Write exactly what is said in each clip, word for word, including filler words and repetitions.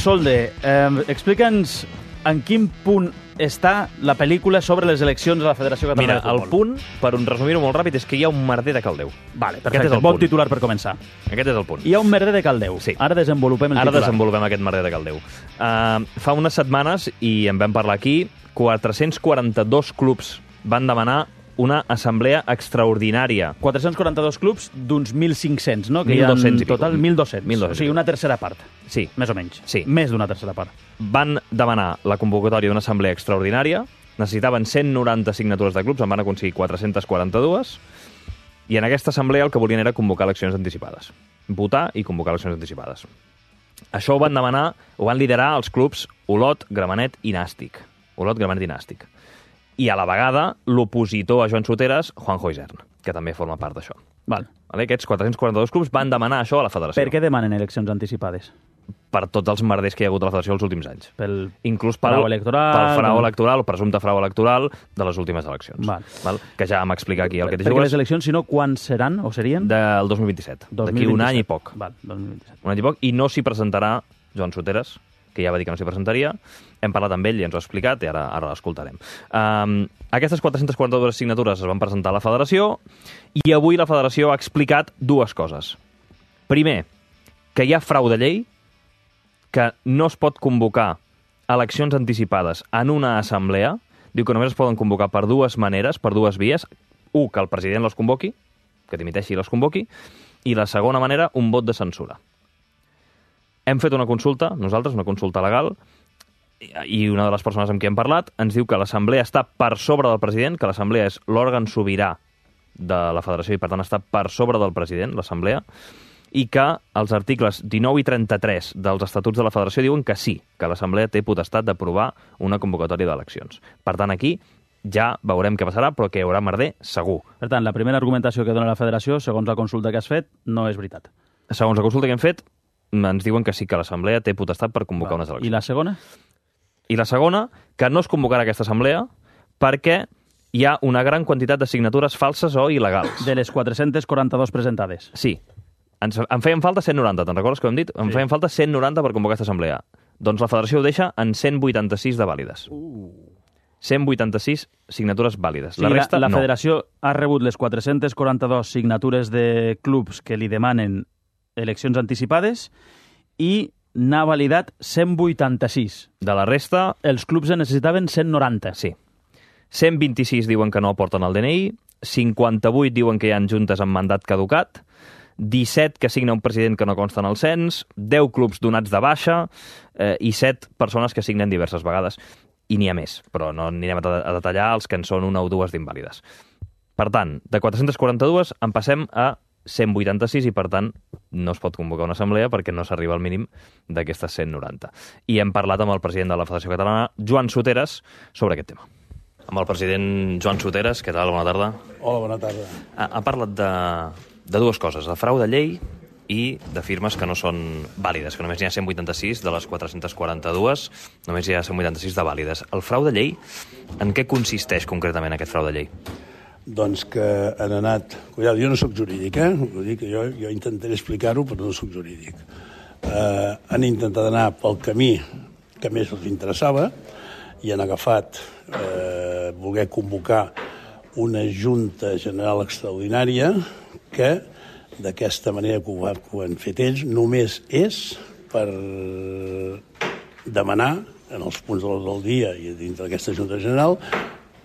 Solde, eh, explica'ns en quin punt està la pel·lícula sobre les eleccions a la Federació Catalana Mira, de Futbol. el punt, per un resumir-ho molt ràpid, és que hi ha un merder de caldeu. Vale, Aquest perfecte. és el Bon punt. titular per començar. Aquest és el punt. Hi ha un merder de caldeu. Sí. Ara desenvolupem el Ara titular. desenvolupem aquest merder de caldeu. Uh, fa unes setmanes, i en vam parlar aquí, quatre-cents quaranta-dos clubs van demanar una assemblea extraordinària. quatre-cents quaranta-dos clubs d'uns mil cinc-cents, no? Que mil dos-cents hi ha en i pico. total mil dos-cents. mil dos-cents O sigui, una tercera part. Sí. Més o menys. Sí. Més d'una tercera part. Van demanar la convocatòria d'una assemblea extraordinària, necessitaven cent noranta signatures de clubs, en van aconseguir quatre-cents quaranta-dos, i en aquesta assemblea el que volien era convocar eleccions anticipades. Votar i convocar eleccions anticipades. Això ho van demanar, ho van liderar els clubs Olot, Gramenet i Nàstic. Olot, Gramenet i Nàstic. I a la vegada, l'opositor a Joan Soteres, Juanjo Isern, que també forma part d'això. Val. Vale? Aquests quatre-cents quaranta-dos clubs van demanar això a la federació. Per què demanen eleccions anticipades? Per tots els merders que hi ha hagut a la federació els últims anys. Pel Inclús pel frau electoral, pel frau com- electoral, o presumpte frau electoral de les últimes eleccions. Val. Val? Que ja vam explicar aquí el que te Perquè les jugues eleccions, si no, quan seran o serien? del dos mil vint-i-set. D'aquí un any i poc. Val, dos mil vint-i-set. Un any i poc. I no s'hi presentarà Joan Soteres, que ja va dir que no s'hi presentaria. Hem parlat amb ell i ens ho ha explicat i ara, ara l'escoltarem. Um, aquestes quatre-centes quaranta-dues signatures es van presentar a la federació i avui la federació ha explicat dues coses. Primer, que hi ha frau de llei, que no es pot convocar eleccions anticipades en una assemblea. Diu que només es poden convocar per dues maneres, per dues vies. Un, que el president les convoqui, que dimiteixi i les convoqui, i la segona manera, un vot de censura. Hem fet una consulta, nosaltres, una consulta legal, i una de les persones amb qui hem parlat ens diu que l'assemblea està per sobre del president, que l'assemblea és l'òrgan sobirà de la federació i, per tant, està per sobre del president, l'assemblea, i que els articles dinou i trenta-tres dels estatuts de la federació diuen que sí, que l'assemblea té potestat d'aprovar una convocatòria d'eleccions. Per tant, aquí ja veurem què passarà, però que hi haurà merder segur. Per tant, la primera argumentació que dona la federació, segons la consulta que has fet, no és veritat. Segons la consulta que hem fet, ens diuen que sí, que l'assemblea té potestat per convocar Val. unes eleccions. I la segona? I la segona, que no es convocarà aquesta assemblea perquè hi ha una gran quantitat de signatures falses o il·legals. De les quatre-centes quaranta-dues presentades. Sí. Ens, en feien falta cent noranta, te'n recordes que ho hem dit? En Sí. feien falta cent noranta per convocar aquesta assemblea. Doncs la federació ho deixa en cent vuitanta-sis de vàlides. Uh. cent vuitanta-sis signatures vàlides. Sí, la resta, la, la no. federació ha rebut les quatre-centes quaranta-dues signatures de clubs que li demanen eleccions anticipades i n'ha validat cent vuitanta-sis. De la resta, Els clubs en necessitaven cent noranta. sí. cent vint-i-sis diuen que no aporten el D N I, cinquanta-vuit diuen que hi ha juntes amb mandat caducat, disset que signa un president que no consta en el cens, deu clubs donats de baixa eh, i set persones que signen diverses vegades. I n'hi ha més, però no anirem a, a detallar els que en són una o dues d'invàlides. Per tant, de quatre-centes quaranta-dues en passem a cent vuitanta-sis i, per tant, no es pot convocar una assemblea perquè no s'arriba al mínim d'aquestes cent noranta. I hem parlat amb el president de la Federació Catalana, Joan Soteres, sobre aquest tema. Amb el president Joan Soteres, què tal? Bona tarda. Hola, bona tarda. Ha, ha parlat de, de dues coses, de frau de llei i de firmes que no són vàlides, que només n'hi ha cent vuitanta-sis de les quatre-centes quaranta-dues, només hi ha cent vuitanta-sis de vàlides. El frau de llei, en què consisteix concretament aquest frau de llei? Doncs que han anat... Cuidado, jo no sóc jurídic, eh? Vull dir que jo, jo intentaré explicar-ho, però no sóc jurídic. Eh, han intentat anar pel camí que més els interessava i han agafat eh, voler convocar una Junta General Extraordinària que, d'aquesta manera que ho, ha, que ho han fet ells, només és per demanar, en els punts de l'ordre del dia i dintre d'aquesta Junta General,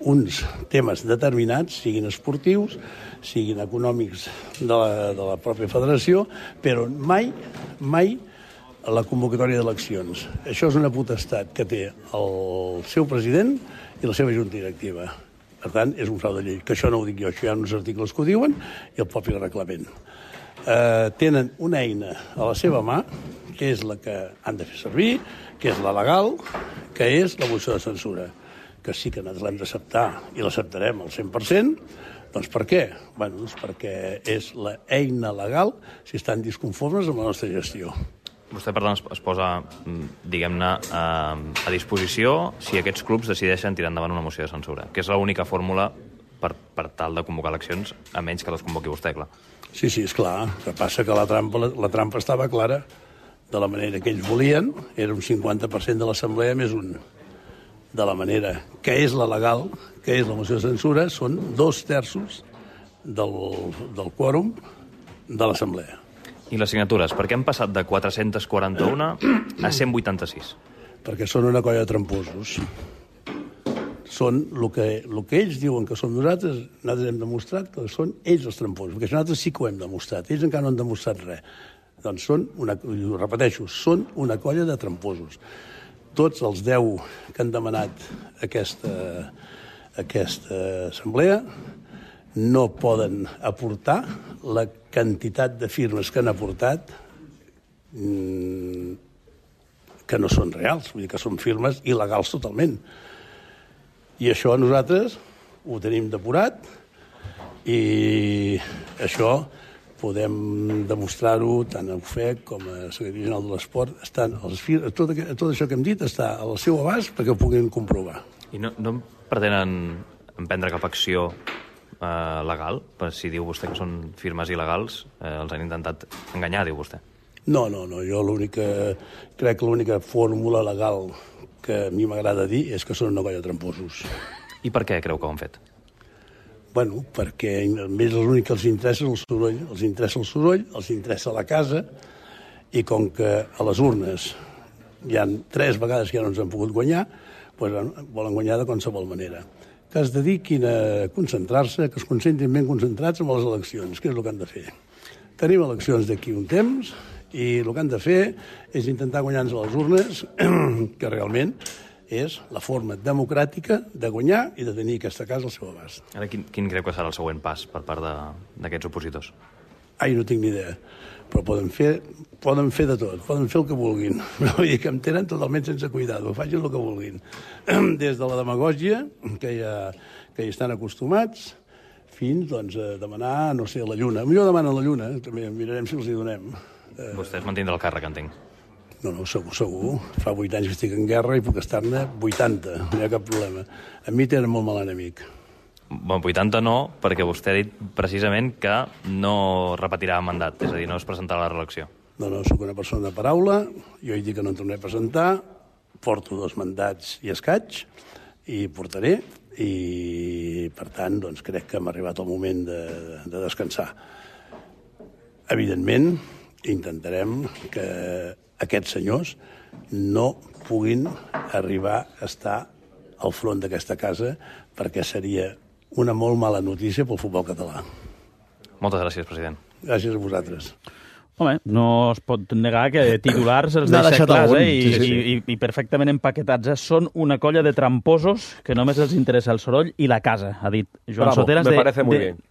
uns temes determinats, siguin esportius, siguin econòmics de la, de la pròpia federació, però mai, mai la convocatòria d'eleccions. Això és una potestat que té el seu president i la seva junta directiva. Per tant, és un frau de llei, que això no ho dic jo, això hi ha uns articles que ho diuen i el propi reglament. Eh, tenen una eina a la seva mà, que és la que han de fer servir, que és la legal, que és la moció de censura, que sí que nosaltres l'hem d'acceptar i l'acceptarem al cent per cent. Doncs per què? Bé, doncs perquè és la eina legal si estan disconformes amb la nostra gestió. Vostè, per tant, es, es posa, diguem-ne, a, a disposició si aquests clubs decideixen tirar endavant una moció de censura, que és l'única fórmula per, per tal de convocar eleccions, a menys que les convoqui vostè, clar. Sí, sí, és clar. El que passa que la trampa, la, la trampa estava clara. de la manera que ells volien, era un cinquanta per cent de l'assemblea més un. De la manera que és la legal, que és la moció de censura, són dos terços del, del quòrum de l'assemblea. I les signatures, per què han passat de quatre-cents quaranta-un a cent vuitanta-sis? Perquè són una colla de tramposos. Són el que, el que ells diuen que som nosaltres, nosaltres hem demostrat que són ells els tramposos, perquè nosaltres sí que ho hem demostrat, ells encara no han demostrat res. Doncs són, una, ho repeteixo, són una colla de tramposos. Tots els deu que han demanat aquesta, aquesta assemblea no poden aportar la quantitat de firmes que han aportat que no són reals, vull dir que són firmes il·legals totalment. I això nosaltres ho tenim depurat i això podem demostrar-ho tant a U F E C com a Secretaria General de l'Esport. Estan els fir... tot, tot això que hem dit està al seu abast perquè ho puguin comprovar. I no, no pretenen emprendre cap acció eh, legal? Per si diu vostè que són firmes il·legals, eh, els han intentat enganyar, diu vostè. No, no, no. Jo l'única, crec que l'única fórmula legal que a mi m'agrada dir és que són una colla de tramposos. I per què creu que ho han fet? Bueno, perquè a ells l'únic que els interessa és el soroll. Els interessa el soroll, els interessa la casa, i com que a les urnes hi ha tres vegades que ja no ens han pogut guanyar, doncs volen guanyar de qualsevol manera. Que es dediquin a concentrar-se, que es concentrin ben concentrats en les eleccions, que és el que han de fer. Tenim eleccions d'aquí un temps, i el que han de fer és intentar guanyar-nos a les urnes, que realment és la forma democràtica de guanyar i de tenir aquesta casa al seu abast. Ara, quin, quin creu que serà el següent pas per part d'aquests opositors? Ai, no tinc ni idea, però poden fer, poden fer de tot, poden fer el que vulguin. Vull dir que em tenen totalment sense cuidado, facin el que vulguin. Des de la demagògia, que ja, que hi estan acostumats, fins doncs, a demanar, no sé, la lluna. Millor demanen la lluna, també mirarem si els hi donem. Vostè es mantindrà el càrrec, entenc. No, no, segur, segur. Fa vuit anys que estic en guerra i puc estar-ne vuitanta, no hi ha cap problema. A mi tenen molt mal enemic. Bon, vuitanta no, perquè vostè ha dit precisament que no repetirà mandat, és a dir, no es presentarà a la reelecció. No, no, sóc una persona de paraula, jo he dit que no em tornaré a presentar, porto dos mandats i escaig, i portaré, i per tant, doncs, crec que hem arribat el moment de, de descansar. Evidentment, intentarem que aquests senyors no puguin arribar a estar al front d'aquesta casa perquè seria una molt mala notícia pel futbol català. Moltes gràcies, president. Gràcies a vosaltres. Home, no es pot negar que titulars els N'ha deixa deixat clars, algun, eh? I, sí, sí. i, i, i perfectament empaquetats. Eh? Són una colla de tramposos que només els interessa el soroll i la casa, ha dit Joan Bravo, Soteras. me de, parece muy de, bien.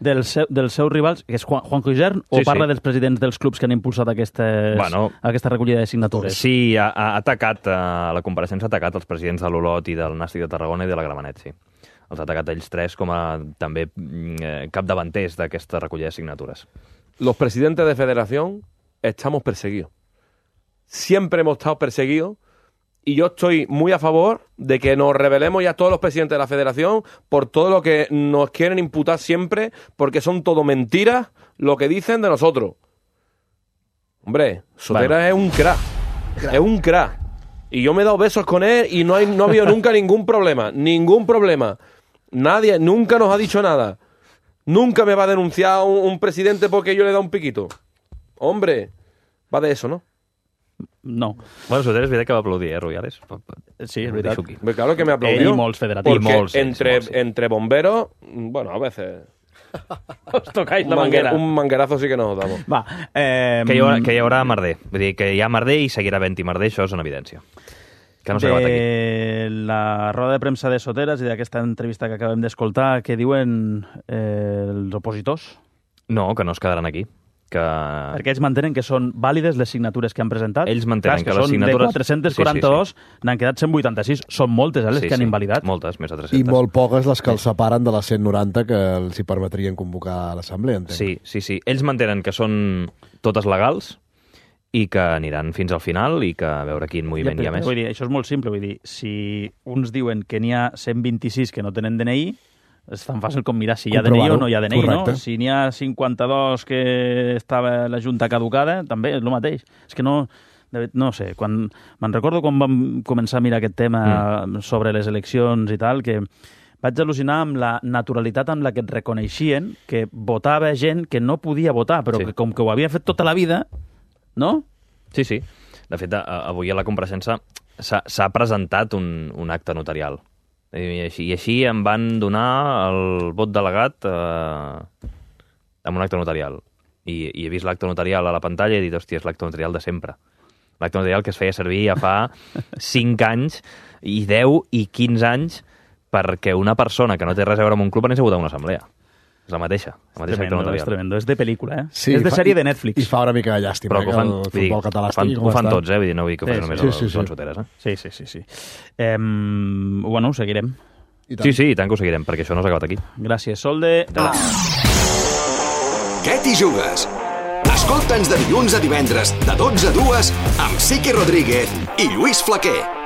Dels, seu, dels seus rivals, que és Juan, Juanjo Isern, o Sí, parla sí. dels presidents dels clubs que han impulsat aquestes, Bueno, aquesta recollida de signatures? Sí, ha, ha atacat, a la compareixença ha atacat els presidents de l'Olot i del Nàstic de Tarragona i de la Gramenet, sí. Els ha atacat ells tres com a també eh, capdavanters d'aquesta recollida de signatures. Los presidentes de federación estamos perseguidos. Siempre hemos estado perseguidos y yo estoy muy a favor de que nos rebelemos ya todos los presidentes de la federación por todo lo que nos quieren imputar siempre, porque son todo mentiras lo que dicen de nosotros. Hombre, Sotera Bueno. es un crack, es un crack. Y yo me he dado besos con él y no, hay, no ha habido nunca ningún problema, ningún problema. Nadie, nunca nos ha dicho nada. Nunca me va a denunciar un, un presidente porque yo le he dado un piquito. Hombre, va de eso, ¿no? No. Bueno, Soteras, és veritat que va aplaudir, eh, Rubiales? Sí, és Ho veritat. deixo aquí. Pues claro que me Ell aplaudió. i molts federatius. Porque I molts, sí, entre, molts, sí. entre bomberos, bueno, a veces Os tocáis un, la manguera- manguera. un manguerazo sí que nos damos. Va, eh, Que hi, haurà, que hi haurà merder. Vull dir, que hi ha merder i seguirà havent-hi merder, això és una evidència. Que no s'ha acabat aquí. de la roda de premsa de Soteras i d'aquesta entrevista que acabem d'escoltar, què diuen eh, els opositors? No, que no es quedaran aquí. Que... Perquè ells mantenen que són vàlides les signatures que han presentat. Ells mantenen Clar, que és les són signatures- de quatre-cents quaranta-dos, sí, sí, n'han quedat cent vuitanta-sis. Són moltes, eh, les Sí, que han sí, invalidat. Moltes, més de I tres-centes. molt poques les que els separen de les cent noranta que els hi permetrien convocar a l'assemblea, entenc. Sí, sí, sí. Ells mantenen que són totes legals i que aniran fins al final i que a veure quin moviment hi ha més. Vull dir, això és molt simple. Vull dir, si uns diuen que n'hi ha cent vint-i-sis que no tenen D N I, és tan fàcil com mirar si hi ha D N I o no hi ha D N I, Correcte. no? Si n'hi ha cinquanta-dos que estava la Junta caducada, també és el mateix. És que no... no sé, quan, me'n recordo quan vam començar a mirar aquest tema mm. sobre les eleccions i tal, que vaig al·lucinar amb la naturalitat amb la que et reconeixien que votava gent que no podia votar, però sí. que com que ho havia fet tota la vida, no? Sí, sí. De fet, avui a la compareixença s'ha presentat un, un acte notarial. I així, I així em van donar el vot delegat eh, amb un acte notarial. I, i he vist l'acte notarial a la pantalla i he dit, hòstia, és l'acte notarial de sempre. L'acte notarial que es feia servir ja fa cinc anys i deu i quinze anys perquè una persona que no té res a veure amb un club anés a votar una assemblea. És la mateixa, la mateixa tremendo, acte notarial. És tremendo, és de pel·lícula, eh? Sí, és de fa, sèrie de Netflix. I fa una mica de llàstima, però que, que ho fan, el futbol dir, català fan, estigui com ho fan està. tots, eh? Vull dir, no vull que ho Sí, faci sí, només sí, el sí, Joan sí. Soteres, eh? Sí, sí, sí. sí. Eh, bueno, ho seguirem. Sí, sí, i tant que ho seguirem, perquè això no s'ha acabat aquí. Gràcies, Solde. Què t'hi jugues? Escolta'ns de dilluns a divendres, de dotze a dues, amb Siqui Rodríguez i Lluís Flaquer.